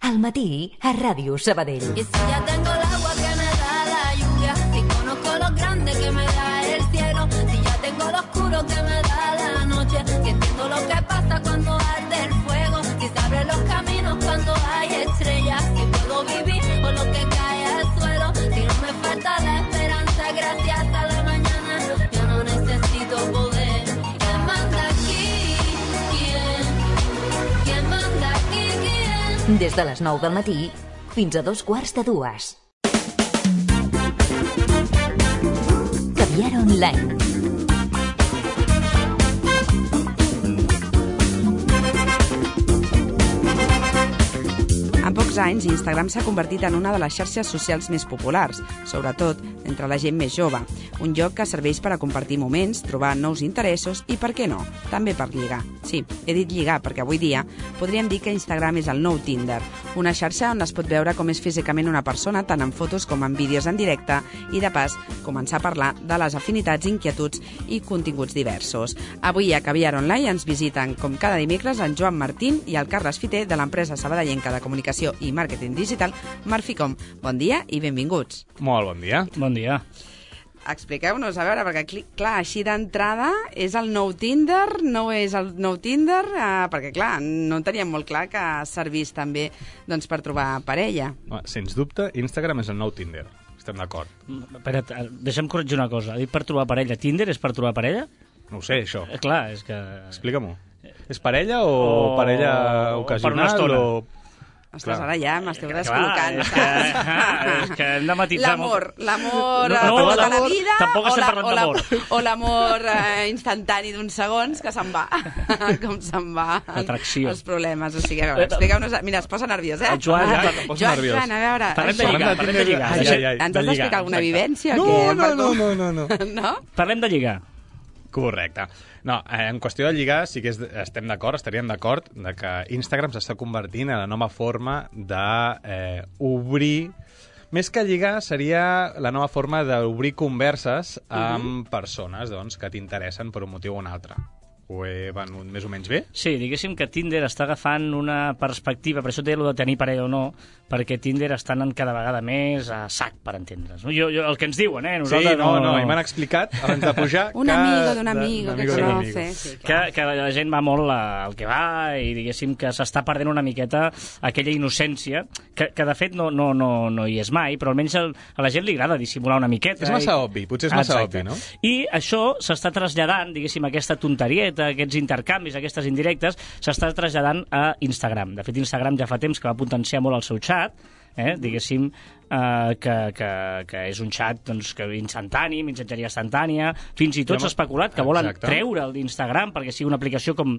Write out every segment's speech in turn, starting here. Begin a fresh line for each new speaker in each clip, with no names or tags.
Al matí, a Ràdio Sabadell.
Y si ya tengo el agua que me da la lluvia, si conozco lo grande que me da el cielo, si ya tengo lo oscuro que me da la noche, si entiendo lo que pasa cuando arde el fuego, si se abren los caminos cuando hay estrellas, si puedo vivir con lo que cae al suelo, si no me falta la esperanza gracias a la mañana, yo no necesito poder. ¿Quién manda aquí? ¿Quién manda aquí? ¿Quién?
Des de les 9 del matí fins a 2:15. Caviar Online.
En pocs anys, Instagram s'ha convertit en una de les xarxes socials més populars, sobretot entre la gent més jove. Un lloc que serveix per a compartir moments, trobar nous interessos i, per què no, també per lligar. Sí, he dit lligar perquè avui dia podríem dir que Instagram és el nou Tinder, una xarxa on es pot veure com és físicament una persona tant en fotos com en vídeos en directe i, de pas, començar a parlar de les afinitats, inquietuds i continguts diversos. Avui a Caviar Online ens visiten, com cada dimecres, en Joan Martín i el Carles Fiter de l'empresa sabadellenca de comunicació i màrqueting digital Marficom. Bon dia i benvinguts.
Molt bon dia.
Bon dia.
Expliqueu-nos, a veure, perquè clar, així d'entrada és el nou Tinder, no és el nou Tinder, perquè clar, no teníem molt clar que servís també doncs, per trobar parella.
Sens dubte, Instagram és el nou Tinder. Estem d'acord.
Espera't, deixa'm corregir una cosa. Ha dit per trobar parella. Tinder és per trobar parella?
No ho sé, això.
Clar, és que...
Explica-m'ho. És parella o parella ocasional?
Per una estona.
Ostres, ara ja m'esteu descol·locant.
És que hem de matisar molt.
L'amor de la vida
tampoc estem parlant d'amor.
O l'amor instantani d'uns segons que se'n va. Com se'n va els problemes. O sigui, a veure, expliqueu-nos... Mira, es posa nerviós, eh?
Joan,
a veure...
Parlem de lligar.
Ens has d'explicar alguna vivència o què?
No.
Parlem de lligar.
Correcte. No, en qüestió de lligar sí que estem d'acord, estaríem d'acord de que Instagram s'està convertint en la nova forma d'obrir... Més que lligar seria la nova forma d'obrir converses amb persones doncs, que t'interessen per un motiu o un altre. Ho he venut més o menys bé?
Sí, diguéssim que Tinder està agafant una perspectiva, per això et deia allò de tenir parella o no, perquè Tinder està anant cada vegada més a sac, per entendre's. El que ens diuen, nosaltres
sí, no, i m'han explicat, abans de pujar...
Un amigo d'un amigo que conoce. Sí,
que la gent va molt al que va i diguéssim que s'està perdent una miqueta aquella innocència, que de fet no hi és mai, però almenys a la gent li agrada dissimular una miqueta.
És massa obvi, potser és massa obvi, no?
I això s'està traslladant, diguéssim, aquesta tonterieta, aquests intercanvis, aquestes indirectes, s'està traslladant a Instagram. De fet, Instagram ja fa temps que va potenciar molt el seu xat, diguéssim, que és un xat doncs, instantani, missatgeria instantània, fins i tot s'ha especulat que volen treure'l d'Instagram perquè sigui una aplicació com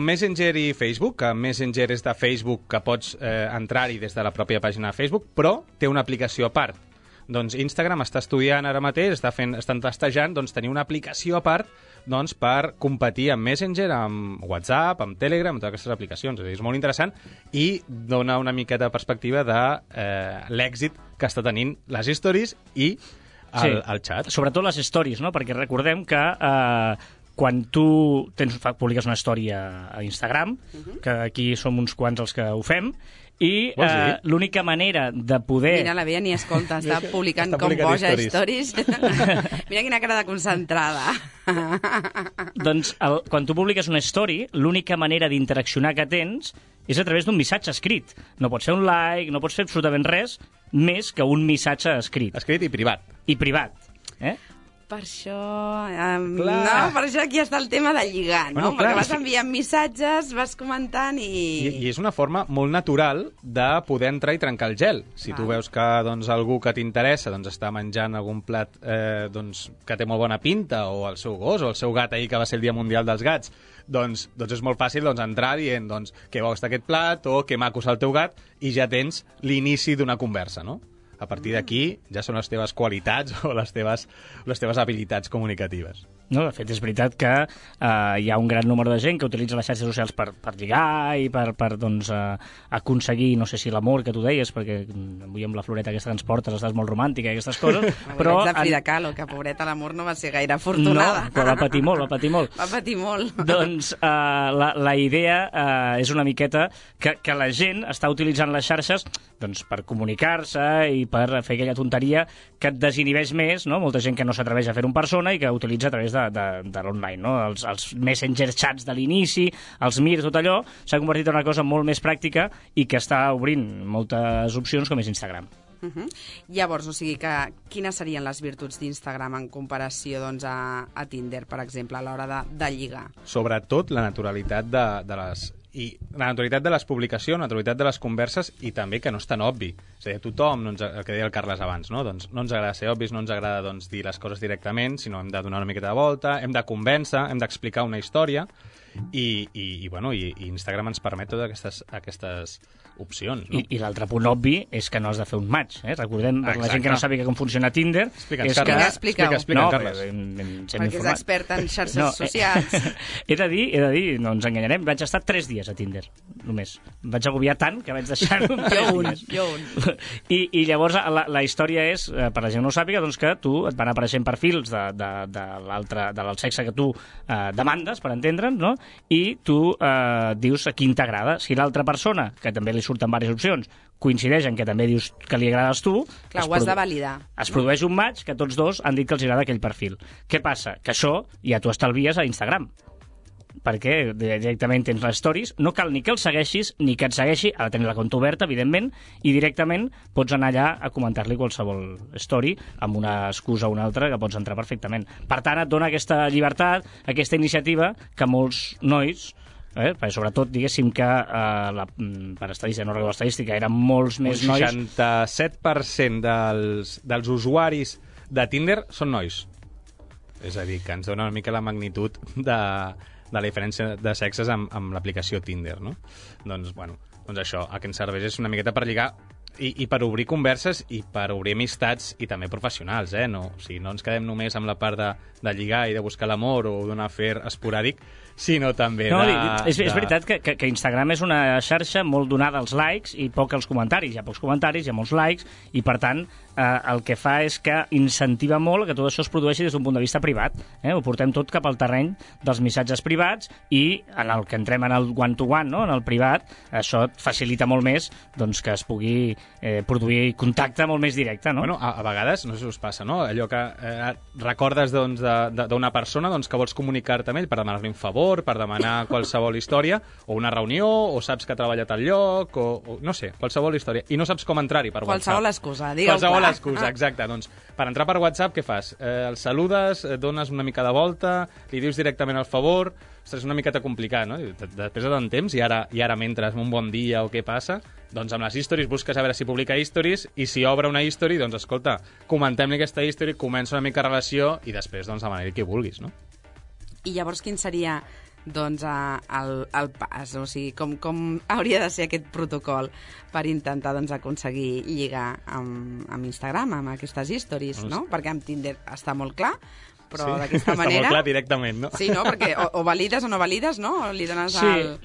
Messenger i Facebook, que Messenger és de Facebook, que pots entrar-hi des de la pròpia pàgina de Facebook, però té una aplicació a part. Doncs Instagram està estudiant ara mateix, estan testejant tenir una aplicació a part per competir amb Messenger, amb WhatsApp, amb Telegram, amb totes aquestes aplicacions. És molt interessant i dona una miqueta de perspectiva de l'èxit que està tenint les stories i el xat.
Sobretot les stories, no? Perquè recordem que quan tu publiques una història a Instagram, que aquí som uns quants els que ho fem, i l'única manera de poder...
Mira, la Bea ni escolta, està publicant com boja stories. Mira quina cara de concentrada.
Doncs quan tu publiques una story, l'única manera d'interaccionar que tens és a través d'un missatge escrit. No pots fer un like, no pots fer absolutament res més que un missatge escrit.
Escrit i privat.
I privat.
Per això... per això aquí està el tema de lligar, no? Perquè vas enviant missatges, vas comentant i...
I és una forma molt natural de poder entrar i trencar el gel. Si tu veus que algú que t'interessa està menjant algun plat que té molt bona pinta, o el seu gos, o el seu gat ahir que va ser el Dia Mundial dels Gats, doncs és molt fàcil entrar dient què bo està aquest plat, o que maco és el teu gat, i ja tens l'inici d'una conversa, no? A partir d'aquí ja són les teves qualitats o les teves habilitats comunicatives.
No, de fet, és veritat que hi ha un gran número de gent que utilitza les xarxes socials per lligar i per doncs, aconseguir, no sé si l'amor que tu deies, perquè avui amb la floreta aquesta que ens portes estàs molt romàntica i aquestes coses, però...
Vaig de Frida Kahlo, que pobreta l'amor no va ser gaire afortunada.
No, però va patir molt, va patir molt.
Va patir molt.
Doncs la idea és una miqueta que la gent està utilitzant les xarxes doncs, per comunicar-se i per fer aquella tonteria que et desinhibeix més, no? Molta gent que no s'atreveix a fer-ho en persona i que utilitza a través de l'online, no? Els messenger chats de l'inici, els Mir, tot allò, s'ha convertit en una cosa molt més pràctica i que està obrint moltes opcions com és Instagram.
Llavors, o sigui que quines serien les virtuts d'Instagram en comparació doncs, a Tinder, per exemple, a l'hora de lligar?
Sobretot la naturalitat la naturalitat de les publicacions, la naturalitat de les converses i també que no és tan obvi. És a dir, tothom, el que deia el Carles abans, no? Doncs no ens agrada ser obvis, no ens agrada doncs, dir les coses directament, sinó hem de donar una miqueta de volta, hem de convèncer, hem d'explicar una història i Instagram ens permet totes aquestes opcions. No?
I l'altre punt obvi és que no has de fer un match. Recordem, per la gent que no sàpiga com funciona Tinder...
Explica,
Carles.
Perquè és expert en xarxes socials.
He de dir, no ens enganyarem, vaig estar 3 dies a Tinder, només. Vaig agobiar tant que vaig deixar-ho en 3 dies.
Jo un.
I llavors la història és, per la gent no ho sàpiga, doncs que tu et van apareixent perfils del sexe que tu demandes, per entendre'ns, no? I tu dius a qui t'agrada. Si l'altra persona, que també li surten diverses opcions, coincideix en que també dius que li agrades tu...
Clar, ho has de validar.
Es produeix un match que tots dos han dit que els agrada aquell perfil. Què passa? Que això ja t'ho estalvies a Instagram. Perquè directament tens les stories, no cal ni que el segueixis ni que et segueixi, ha de tenir la compte oberta, evidentment, i directament pots anar allà a comentar-li qualsevol story amb una excusa o una altra que pots entrar perfectament. Per tant, et dona aquesta llibertat, aquesta iniciativa que molts nois... perquè sobretot, diguéssim que per estadística, no recordo l'estadística, eren molts més nois...
Un 67% dels usuaris de Tinder són nois. És a dir, que ens dona una mica la magnitud de la diferència de sexes amb l'aplicació Tinder, no? Doncs això, a què ens serveix és una miqueta per lligar i per obrir converses i per obrir amistats i també professionals, no? O sigui, no ens quedem només amb la part de lligar i de buscar l'amor o d'un afer esporàdic, sinó també
és veritat que Instagram és una xarxa molt donada als likes i poc als comentaris. Hi ha pocs comentaris, hi ha molts likes, i per tant el que fa és que incentiva molt que tot això es produeixi des d'un punt de vista privat. Ho portem tot cap al terreny dels missatges privats i en el que entrem en el one-to-one, no? En el privat, això et facilita molt més doncs, que es pugui produir contacte molt més directe, no?
A vegades, no sé si us passa, no? Allò que recordes d'una persona que vols comunicar-te amb ell per demanar-li un favor, per demanar qualsevol història, o una reunió, o saps que treballa a tal lloc, o no sé, qualsevol història, i no saps com entrar-hi per WhatsApp.
Qualsevol excusa, digue'm.
Qualsevol excusa, exacte. Doncs per entrar per WhatsApp, què fas? El saludes, dones una mica de volta, li dius directament el favor... Ostres, és una miqueta complicat, no? Després de tant temps, i ara mentres un bon dia o què passa, doncs amb les stories busques a veure si publica stories, i si obre una history, doncs escolta, comentem-li aquesta history, comença una mica relació, i després doncs demana-li qui vulguis, no?
I llavors quin seria doncs, el pas? O sigui, com hauria de ser aquest protocol per intentar doncs, aconseguir lligar amb Instagram, amb aquestes stories, no? Perquè amb Tinder està molt clar, però sí, d'aquesta manera...
Està molt clar directament, no?
Sí, no? Perquè o valides o no valides, no? O li dones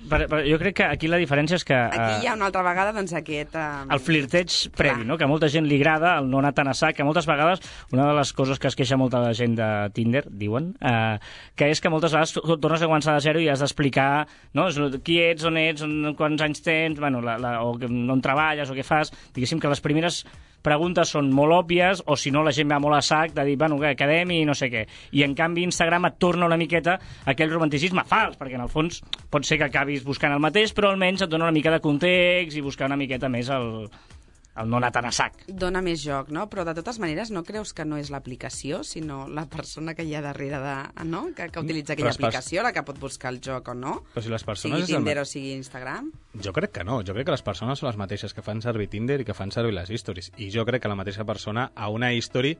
però jo crec que aquí la diferència és que...
Aquí hi ha una altra vegada, doncs, aquest...
El flirteig previ, no? Que a molta gent li agrada, el no anar tan a sac, que moltes vegades, una de les coses que es queixa molta gent de Tinder, diuen, que és que moltes vegades tornes a començar de zero i has d'explicar, no? Qui ets, on ets, quants anys tens, bueno, o on treballes, o què fas. Diguéssim que les primeres preguntes són molt òbvies, o si no la gent va molt a sac de dir, bueno, què, quedem i no sé què. I en canvi Instagram et torna una miqueta aquell romanticisme fals, perquè en el fons pot ser que acabis buscant el mateix, però almenys et dona una mica de context i buscar una miqueta més el no anar tan a sac.
Dona més joc, no? Però de totes maneres no creus que no és l'aplicació, sinó la persona que hi ha darrere no? que utilitza aquella aplicació, la que pot buscar el joc o no?
Però si les persones
sigui Tinder o sigui Instagram?
Jo crec que no. Jo crec que les persones són les mateixes que fan servir Tinder i que fan servir les stories. I jo crec que la mateixa persona a una history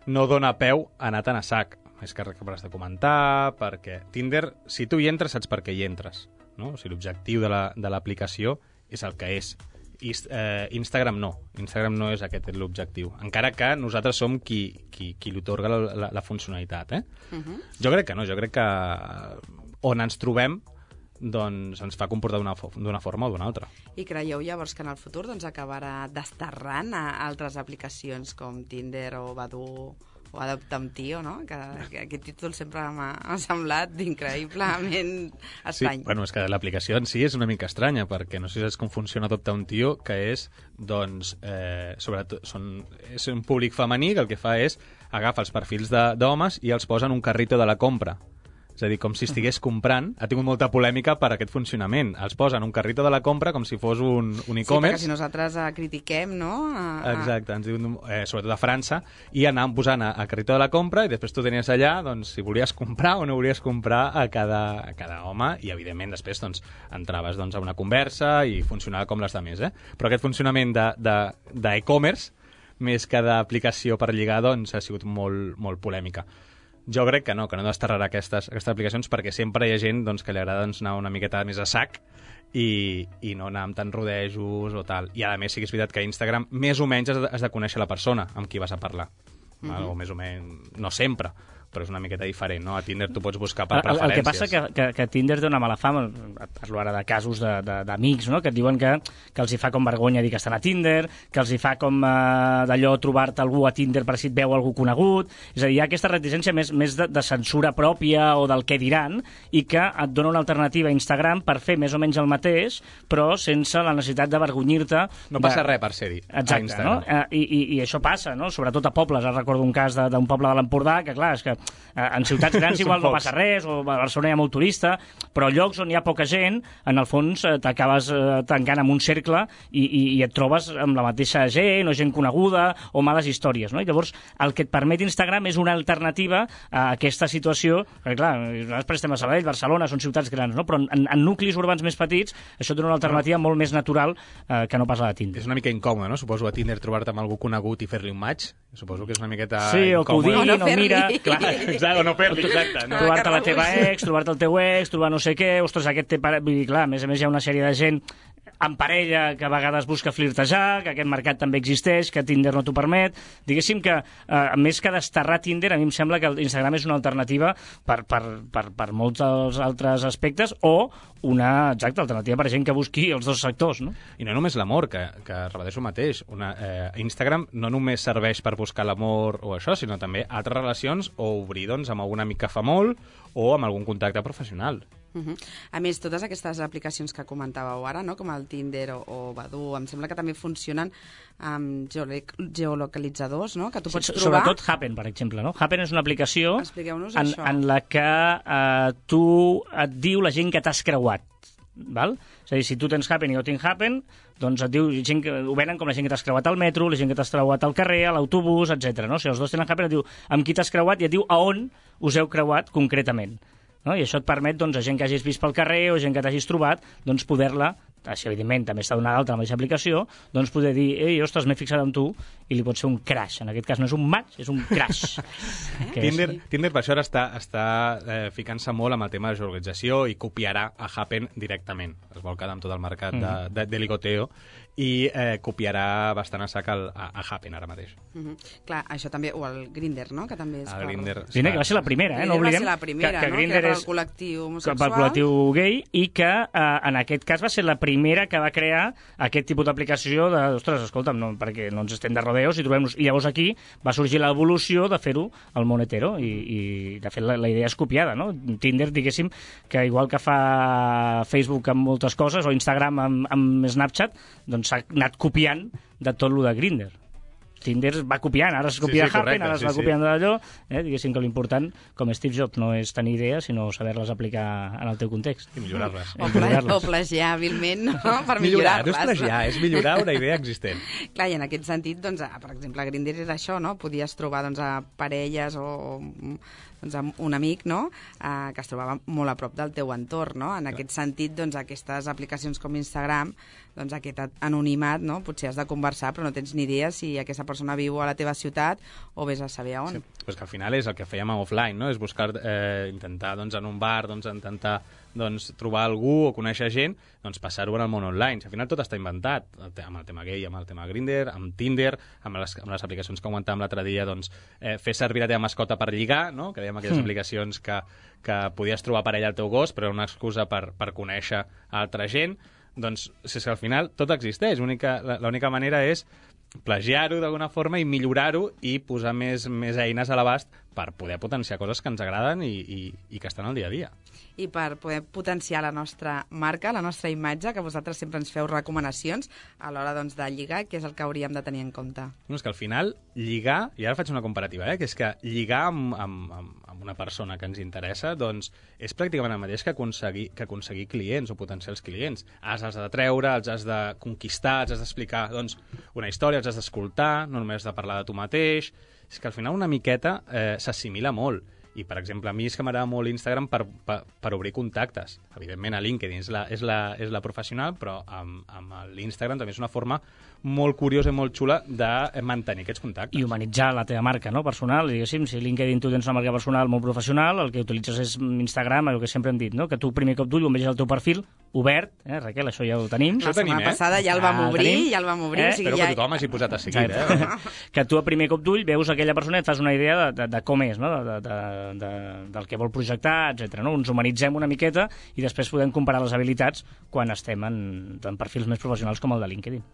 no dona peu a anar tan a sac. És que has de comentar, perquè Tinder, si tu hi entres, saps per què hi entres, no? O sigui, l'objectiu de l'aplicació és el que és. Instagram no. Instagram no és aquest l'objectiu. Encara que nosaltres som qui li otorga la funcionalitat. Jo crec que no. Jo crec que on ens trobem doncs ens fa comportar d'una forma o d'una altra.
I creieu llavors que en el futur doncs, acabarà desterrant a altres aplicacions com Tinder o Badoo o Adopta un tio, no? Que aquest títol sempre m'ha semblat increïblement estrany.
Sí, bueno, és que l'aplicació en si és una mica estranya, perquè no sé si saps com funciona Adopta un tio, que és, doncs, sobretot, és un públic femení que el que fa és agafa els perfils d'homes i els posa en un carrito de la compra. És a dir, com si estigués comprant. Ha tingut molta polèmica per aquest funcionament. Els posa en un carrito de la compra com si fos un e-commerce.
Sí, perquè si nosaltres critiquem, no?
Exacte, ens diuen, sobretot a França, i anàvem posant a carrito de la compra i després tu tenies allà doncs, si volies comprar o no volies comprar a cada home i, evidentment, després doncs, entraves doncs, a una conversa i funcionava com les altres. Però aquest funcionament d'e-commerce, més que d'aplicació per lligar, doncs, ha sigut molt, molt polèmica. Jo crec que no desterrarà aquestes aplicacions perquè sempre hi ha gent doncs, que li agrada doncs, anar una miqueta més a sac i no anar amb tants rodejos o tal. I a més sí que és veritat que a Instagram més o menys has de conèixer la persona amb qui vas a parlar. O més o menys, no sempre, però és una miqueta diferent, no? A Tinder tu pots buscar per preferències.
El que passa que Tinder té una mala fama, parlo ara de casos d'amics, no? Que et diuen que els hi fa com vergonya dir que estan a Tinder, que els hi fa com d'allò trobar-te algú a Tinder per si et veu algú conegut, és a dir, hi ha aquesta reticència més de censura pròpia o del què diran, i que et dona una alternativa a Instagram per fer més o menys el mateix, però sense la necessitat d'avergonyir-te.
No passa res per ser-hi a Instagram.
No? I això passa, no? Sobretot a pobles. Recordo un cas d'un poble de l'Empordà, que clar, és que en ciutats grans igual no passa res, o a Barcelona hi ha molt turista, però llocs on hi ha poca gent, en el fons t'acabes tancant en un cercle i et trobes amb la mateixa gent, o gent coneguda, o males històries, no? I llavors el que et permet Instagram és una alternativa a aquesta situació, perquè clar, nosaltres estem a Sabadell, Barcelona, són ciutats grans, no? Però en nuclis urbans més petits això té una alternativa molt més natural que no pas la de Tinder.
És una mica incòmode, no? Suposo a Tinder trobar-te amb algú conegut i fer-li un match, suposo que és una miqueta
sí, o que ho diguin, o mira...
Clar, exacte, o no fer-li, exacte. No?
Trobar-te la teva ex, trobar-te el teu ex, trobar no sé què, ostres, aquest té... Vull dir, clar, a més hi ha una sèrie de gent en parella que a vegades busca flirtejar, que aquest mercat també existeix, que Tinder no t'ho permet. Diguéssim que, més que desterrar Tinder, a mi em sembla que Instagram és una alternativa per molts altres aspectes, o una alternativa per gent que busqui els dos sectors, no?
I no només l'amor, que repeteixo el mateix. Instagram no només serveix per buscar l'amor o això, sinó també altres relacions o obrir doncs, amb algun amic que fa molt o amb algun contacte professional.
A més, totes aquestes aplicacions que comentàveu ara, no? Com el Tinder o Badoo, em sembla que també funcionen amb geolocalitzadors, no? Que tu pots trobar...
Sobretot Happen, per exemple, no? Happen és una aplicació en la que tu et diu la gent que t'has creuat. Val? És a dir, si tu tens Happen i jo tinc Happen, doncs et diu, ho venen com la gent que t'has creuat al metro, la gent que t'has creuat al carrer, a l'autobús, etc. No? Si els dos tenen Happen, et diu amb qui t'has creuat i et diu a on us heu creuat concretament. No? I això et permet, doncs, a gent que hagis vist pel carrer o gent que t'hagis trobat, doncs, poder-la, si evidentment també està donada d'altra la mateixa aplicació, doncs poder dir, ei, ostres, m'he fixat en tu, i li pot ser un crash. En aquest cas no és un match, és un crash.
Tinder per això ara està ficant-se molt amb el tema de geolocalització i copiarà a Happen directament. Es vol quedar amb tot el mercat de ligoteo i copiarà bastant a sac a Happen ara mateix.
Clar, això també, o el Grindr, no? Que també és
Grindr, que va ser la primera, no oblidem.
Va ser la primera,
que Grindr
és el col·lectiu homosexual.
El col·lectiu gay, i que en aquest cas va ser la primera que va crear aquest tipus d'aplicació de, ostres, escolta'm, no, perquè no ens estem de rodeos i trobem-nos. I llavors aquí va sorgir l'evolució de fer-ho al món hetero i de fet la idea és copiada, no? Tinder, diguéssim, que igual que fa Facebook amb moltes coses o Instagram amb Snapchat, doncs s'ha anat copiant de tot lo de Grindr. Tinder va copiant, ara es copia Happen, ara es va copiant d'allò, diguéssim que l'important, com Steve Jobs, no és tenir idees, sinó saber-les aplicar en el teu context.
I millorar-les.
O plagiar hàbilment, no? Per millorar-les.
No és plagiar, és millorar una idea existent.
Clar, i en aquest sentit, doncs, per exemple, Grindr era això, no? Podies trobar doncs, a parelles o doncs, un amic, no? Que es trobava molt a prop del teu entorn, no? En aquest sentit, doncs, aquestes aplicacions com Instagram doncs, aquest anonimat, no? Potser has de conversar, però no tens ni idea si aquesta persona viu a la teva ciutat o vés a saber on.
Sí, pues que al final és el que fèiem a offline, no? És buscar, intentar, doncs, en un bar, doncs, intentar trobar algú o conèixer gent, doncs passar-ho en el món online. Al final tot està inventat, amb el tema gay, amb el tema Grindr, amb Tinder, amb les aplicacions que comentàvem l'altre dia, doncs, fer servir la teva mascota per lligar, no? Que dèiem aquelles aplicacions que podies trobar parella al teu gos, però era una excusa per conèixer altra gent. Doncs, és que al final tot existeix. L'única manera és plagiar-ho d'alguna forma i millorar-ho i posar més eines a l'abast per poder potenciar coses que ens agraden i que estan al dia a dia.
I per poder potenciar la nostra marca, la nostra imatge, que vosaltres sempre ens feu recomanacions a l'hora, doncs, de lligar, què és el que hauríem de tenir en compte?
No, és que al final lligar, i ara faig una comparativa, que és que lligar amb una persona que ens interessa, doncs és pràcticament el mateix que aconseguir clients o potencials clients. Els has de treure, els has de conquistar, els has d'explicar, doncs, una història, els has d'escoltar, no només has de parlar de tu mateix. És que al final una miqueta s'assimila molt. I, per exemple, a mi és que m'agrada molt Instagram per obrir contactes. Evidentment, a LinkedIn és la professional, però amb l'Instagram també és una forma molt curiosa i molt xula de mantenir aquests contactes.
I humanitzar la teva marca, no?, personal. Diguéssim, si LinkedIn tu tens una marca personal molt professional, el que utilitzes és Instagram, el que sempre hem dit, no?, que tu primer cop d'ull on vegis el teu perfil obert, Raquel, això ja ho tenim.
La setmana passada ja el vam obrir, o sigui,
espero que tothom hagi posat a seguir,
Que tu a primer cop d'ull veus aquella persona i et fas una idea de com és, no?, del que vol projectar, etc. No? Ens humanitzem una miqueta i després podem comparar les habilitats quan estem en perfils més professionals com el de LinkedIn.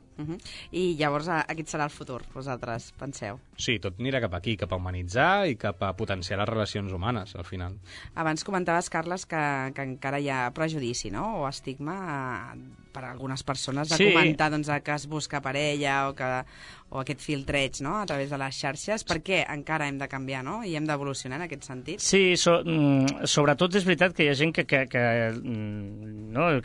I llavors aquest serà el futur, vosaltres penseu?
Sí, tot anirà cap aquí, cap a humanitzar i cap a potenciar les relacions humanes, al final.
Abans comentaves, Carles, que encara hi ha prejudici, no?, o estigma per a algunes persones de comentar, doncs, que es busca parella o aquest filtreig, no?, a través de les xarxes. Per què encara hem de canviar, no?, i hem d'evolucionar en aquest sentit?
Sí, sobretot és veritat que hi ha gent que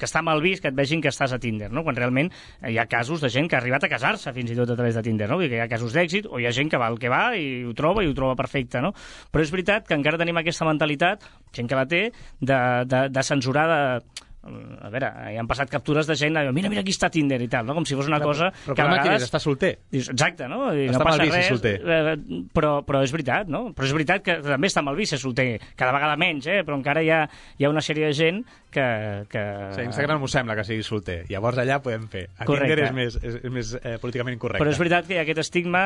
està mal vist que et vegin que estàs a Tinder, no?, quan realment hi ha casos de gent que ha arribat a casar-se fins i tot a través de Tinder, no? Vull dir que hi ha casos d'èxit, o hi ha gent que va el que va i ho troba perfecte, no? Però és veritat que encara tenim aquesta mentalitat, gent que la té, de censurar, a veure, hi han passat captures de gent, mira aquí està Tinder i tal, no? Com si fos una cosa
però
que a vegades...
està solter.
Exacte, no?
Està
no passa
mal vist
res,
solter.
Però és veritat, no? Però és veritat que també està mal vist ser solter, cada vegada menys, però encara hi ha una sèrie de gent que...
Sí, Instagram m'ho sembla que sigui solter, llavors allà podem fer. A Tinder és més políticament incorrecte.
Però és veritat que hi ha aquest estigma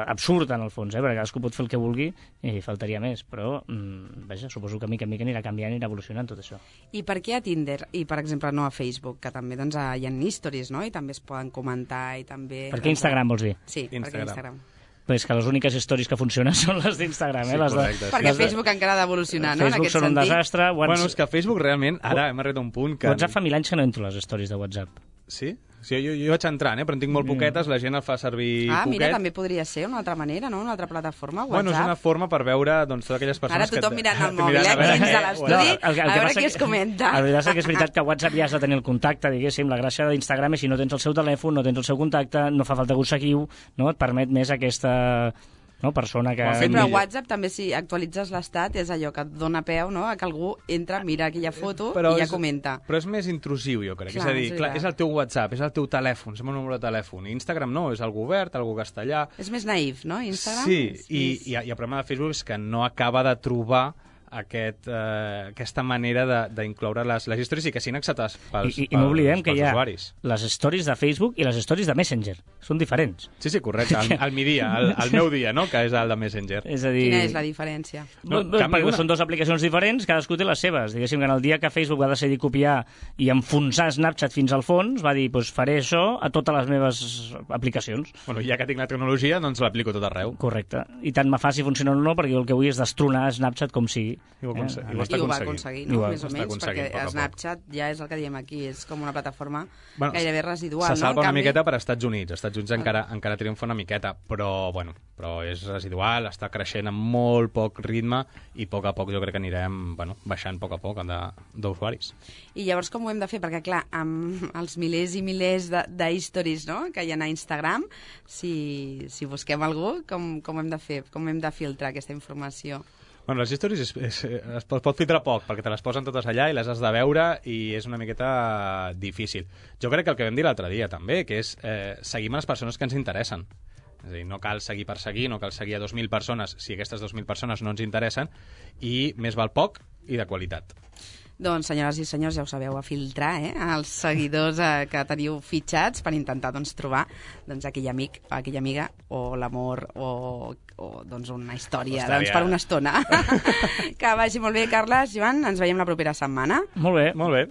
absurd, en el fons, perquè cadascú pot fer el que vulgui i faltaria més, però, vaja, suposo que mica en mica anirà canviant i anirà evolucionant tot això.
I per què a Tinder i, per exemple, no a Facebook, que també doncs, hi ha stories, no?, i també es poden comentar i també...
Per què Instagram, vols dir?
Sí, perquè Instagram.
Però és que les úniques stories que funcionen són les d'Instagram,
Sí, correcte.
Perquè Facebook encara ha d'evolucionar, no?, en aquest sentit.
Facebook són un desastre.
Bueno, és que Facebook realment, ara hem arribat a un punt que...
WhatsApp fa 1000 anys que no entro a les stories de WhatsApp.
Sí? Sí, jo vaig entrant, però en tinc molt poquetes, la gent el fa servir poquet.
Mira, també podria ser una altra manera, no?, una altra plataforma, WhatsApp.
Bueno, és una forma per veure, doncs, totes aquelles persones
que... Ara tothom mirant el mòbil, dins de l'estudi, a veure qui es comenta.
La veritat és que és veritat que a WhatsApp ja has de tenir el contacte, diguéssim, la gràcia d'Instagram és si no tens el seu telèfon, no tens el seu contacte, no fa falta que ho seguiu, no?, et permet més aquesta... no, persona que...
Sí, però a WhatsApp també si actualitzes l'estat és allò que et dona peu, no?, a que algú entra, mira aquella foto i ja comenta.
Però és més intrusiu, jo crec. És a dir, és el teu WhatsApp, és el teu telèfon, és el meu número de telèfon. Instagram no, és algú obert, algú castellà.
És més naïf, no, Instagram?
Sí, i el problema de Facebook és que no acaba de trobar aquesta manera d'incloure les històries i que siguin acceptades pels usuaris.
I no oblidem que hi ha les stories de Facebook i les stories de Messenger. Són diferents.
Sí, correcte. Al migdia, al meu dia, no?, que és el de Messenger.
És a dir...
Quina és la diferència?
Perquè són dues aplicacions diferents, cadascú té les seves. Diguéssim que en el dia que Facebook va decidir copiar i enfonsar Snapchat fins al fons, va dir, doncs faré això a totes les meves aplicacions.
Bueno, ja que tinc la tecnologia, doncs l'aplico tot arreu.
Correcte. I tant me fa si funciona o no, perquè jo el que vull és destronar Snapchat com sigui.
I ho va aconseguir, no? Més o menys, perquè Snapchat ja és el que diem aquí, és com una plataforma gairebé residual.
Se salva una miqueta per Estats Units. Estats Units encara triomfa una miqueta, però és residual, està creixent amb molt poc ritme i a poc jo crec que anirem baixant a poc d'usuaris.
I llavors com ho hem de fer? Perquè clar, amb els milers i milers d'historis, no?, que hi ha a Instagram, si busquem algú, com hem de fer? Com hem de filtrar aquesta informació?
Bueno, les stories es pot filtrar poc, perquè te les posen totes allà i les has de veure i és una miqueta difícil. Jo crec que el que vam dir l'altre dia també, que és seguim a les persones que ens interessen. És a dir, no cal seguir per seguir, no cal seguir a 2.000 persones si aquestes 2.000 persones no ens interessen, i més val poc i de qualitat.
Doncs, senyores i senyors, ja ho sabeu, a filtrar els seguidors que teniu fitxats per intentar trobar aquell amic o aquella amiga o l'amor o una història per una estona. Que vagi molt bé, Carles. Joan, ens veiem la propera setmana.
Molt bé.
Molt bé.